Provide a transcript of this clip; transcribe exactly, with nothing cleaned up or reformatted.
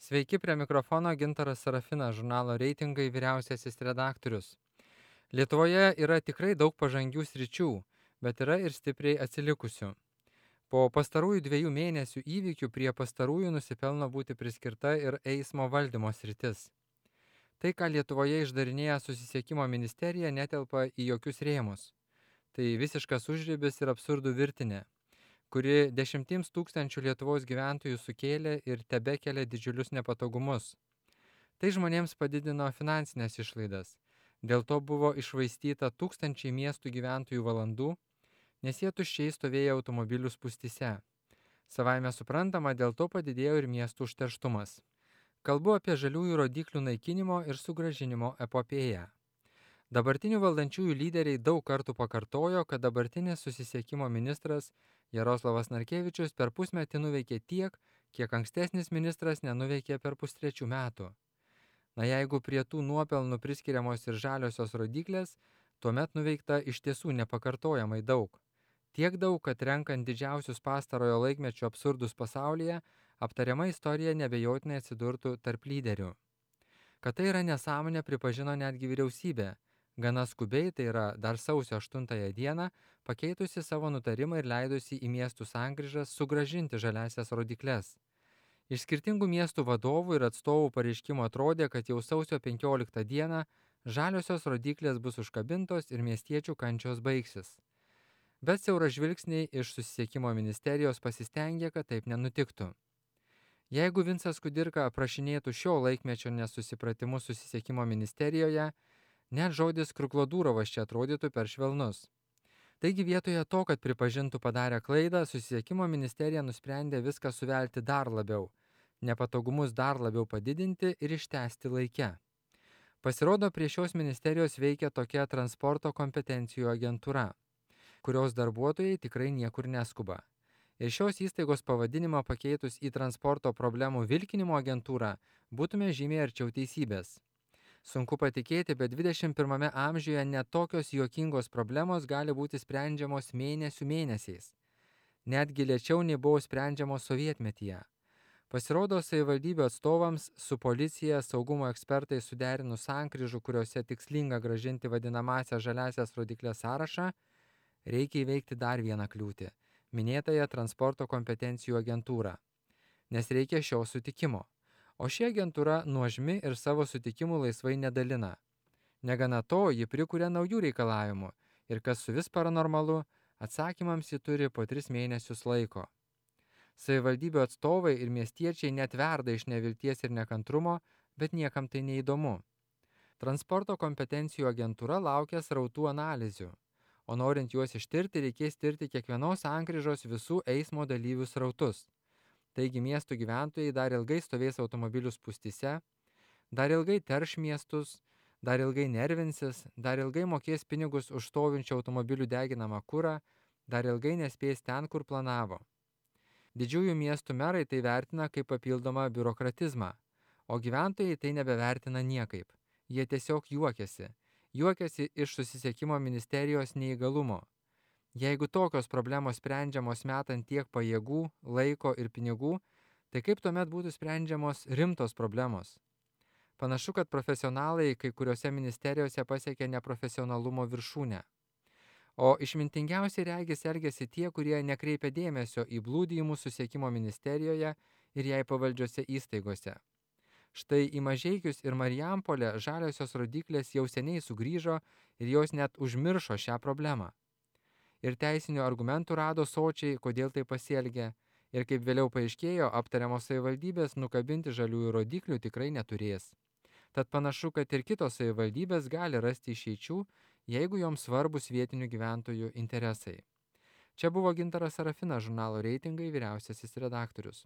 Sveiki, prie mikrofono Gintaras Sarafinas, žurnalo Reitingai vyriausiasis redaktorius. Lietuvoje yra tikrai daug pažangių sričių, bet yra ir stipriai atsilikusių. Po pastarųjų dviejų mėnesių įvykių prie pastarųjų nusipelno būti priskirta ir eismo valdymo sritis. Tai, ką Lietuvoje išdarinėja susisiekimo ministerija, netelpa į jokius rėmus. Tai visiškas užribis ir absurdų virtinė, kuri dešimtims tūkstančių Lietuvos gyventojų sukėlė ir tebekelia didžiulius nepatogumus. Tai žmonėms padidino finansinės išlaidas. Dėl to buvo iššvaistyta tūkstančiai miestų gyventojų valandų, nes jie tuščiai stovėjo automobilių spūstyse. Savaime suprantama, dėl to padidėjo ir miestų užterštumas. Kalbu apie žaliųjų rodiklių naikinimo ir sugrąžinimo epopėją. Dabartinių valdančiųjų lyderiai daug kartų pakartojo, kad dabartinis susisiekimo ministras Jaroslavas Narkevičius per pusmetį nuveikė tiek, kiek ankstesnis ministras nenuveikė per pustrečių metų. Na jeigu prie tų nuopelnų priskiriamos ir žaliosios rodiklės, tuomet nuveikta iš tiesų nepakartojamai daug. Tiek daug, kad renkant didžiausius pastarojo laikmečio absurdus pasaulyje, aptariama istorija nebejotinai atsidurtų tarp lyderių. Kad tai yra nesąmonė, pripažino netgi vyriausybė. Gana skubiai, tai yra dar sausio aštuntąją dieną, pakeitusi savo nutarimą ir leidusi į miestų sankryžas sugrąžinti žaliasias rodikles. Iš skirtingų miestų vadovų ir atstovų pareiškimo atrodė, kad jau sausio penkioliktą dieną žaliosios rodiklės bus užkabintos ir miestiečių kančios baigsis. Bet siauražvilgsniai iš susisiekimo ministerijos pasistengė, kad taip nenutiktų. Jeigu Vincas Kudirka aprašinėtų šio laikmečio nesusipratimus susisiekimo ministerijoje, net žodis Kruklodurovas čia atrodytų per švelnus. Taigi vietoje to, kad pripažintų padarę klaidą, susisiekimo ministerija nusprendė viską suvelti dar labiau, nepatogumus dar labiau padidinti ir ištęsti laike. Pasirodo, prie šios ministerijos veikia tokia transporto kompetencijų agentūra, kurios darbuotojai tikrai niekur neskuba. Ir šios įstaigos pavadinimą pakeitus į transporto problemų vilkinimo agentūrą būtume žymiai arčiau teisybės. Sunku patikėti, bet dvidešimt pirmame amžiuje net tokios juokingos problemos gali būti sprendžiamos mėnesių mėnesiais. Netgi lėčiau nei buvo sprendžiamos sovietmetyje. Pasirodo, savivaldybių atstovams su policija saugumo ekspertai suderinus sankryžų, kuriuose tikslinga grąžinti vadinamąsias žaliasias rodiklės sąrašą, reikia įveikti dar vieną kliūtį – minėtąją transporto kompetencijų agentūrą. Nes reikia šio sutikimo. O ši agentūra nuožmi ir savo sutikimų laisvai nedalina. Negana to, ji prikuria naujų reikalavimų ir kas su vis paranormalu, atsakymams ji turi po tris mėnesius laiko. Savivaldybių atstovai ir miestiečiai net verda iš nevilties ir nekantrumo, bet niekam tai neįdomu. Transporto kompetencijų agentūra laukia srautų analizių, o norint juos ištirti, reikės tirti kiekvienos sankryžos visų eismo dalyvių srautus. Taigi miestų gyventojai dar ilgai stovės automobilių spūstyse, dar ilgai terš miestus, dar ilgai nervinsis, dar ilgai mokės pinigus už stovinčių automobilių deginamą kurą, dar ilgai nespės ten, kur planavo. Didžiųjų miestų merai tai vertina kaip papildomą biurokratizmą, o gyventojai tai nebevertina niekaip. Jie tiesiog juokiasi. Juokiasi iš susisiekimo ministerijos neįgalumo. Jeigu tokios problemos sprendžiamos metant tiek pajėgų, laiko ir pinigų, tai kaip tuomet būtų sprendžiamos rimtos problemos? Panašu, kad profesionalai kai kuriuose ministerijose pasiekė neprofesionalumo viršūnę. O išmintingiausiai regis elgėsi tie, kurie nekreipia dėmesio į blūdijimus susisiekimo ministerijoje ir jai pavaldžiose įstaigose. Štai į Mažeikius ir Marijampolę žaliosios rodiklės jau seniai sugrįžo ir jos net užmiršo šią problemą. Ir teisinių argumentų rado sočiai, kodėl tai pasielgė, ir kaip vėliau paaiškėjo, aptariamos savivaldybės nukabinti žaliųjų rodiklių tikrai neturės. Tad panašu, kad ir kitos savivaldybės gali rasti išeičių, jeigu joms svarbus vietinių gyventojų interesai. Čia buvo Gintaras Sarafinas, žurnalo Reitingai vyriausiasis redaktorius.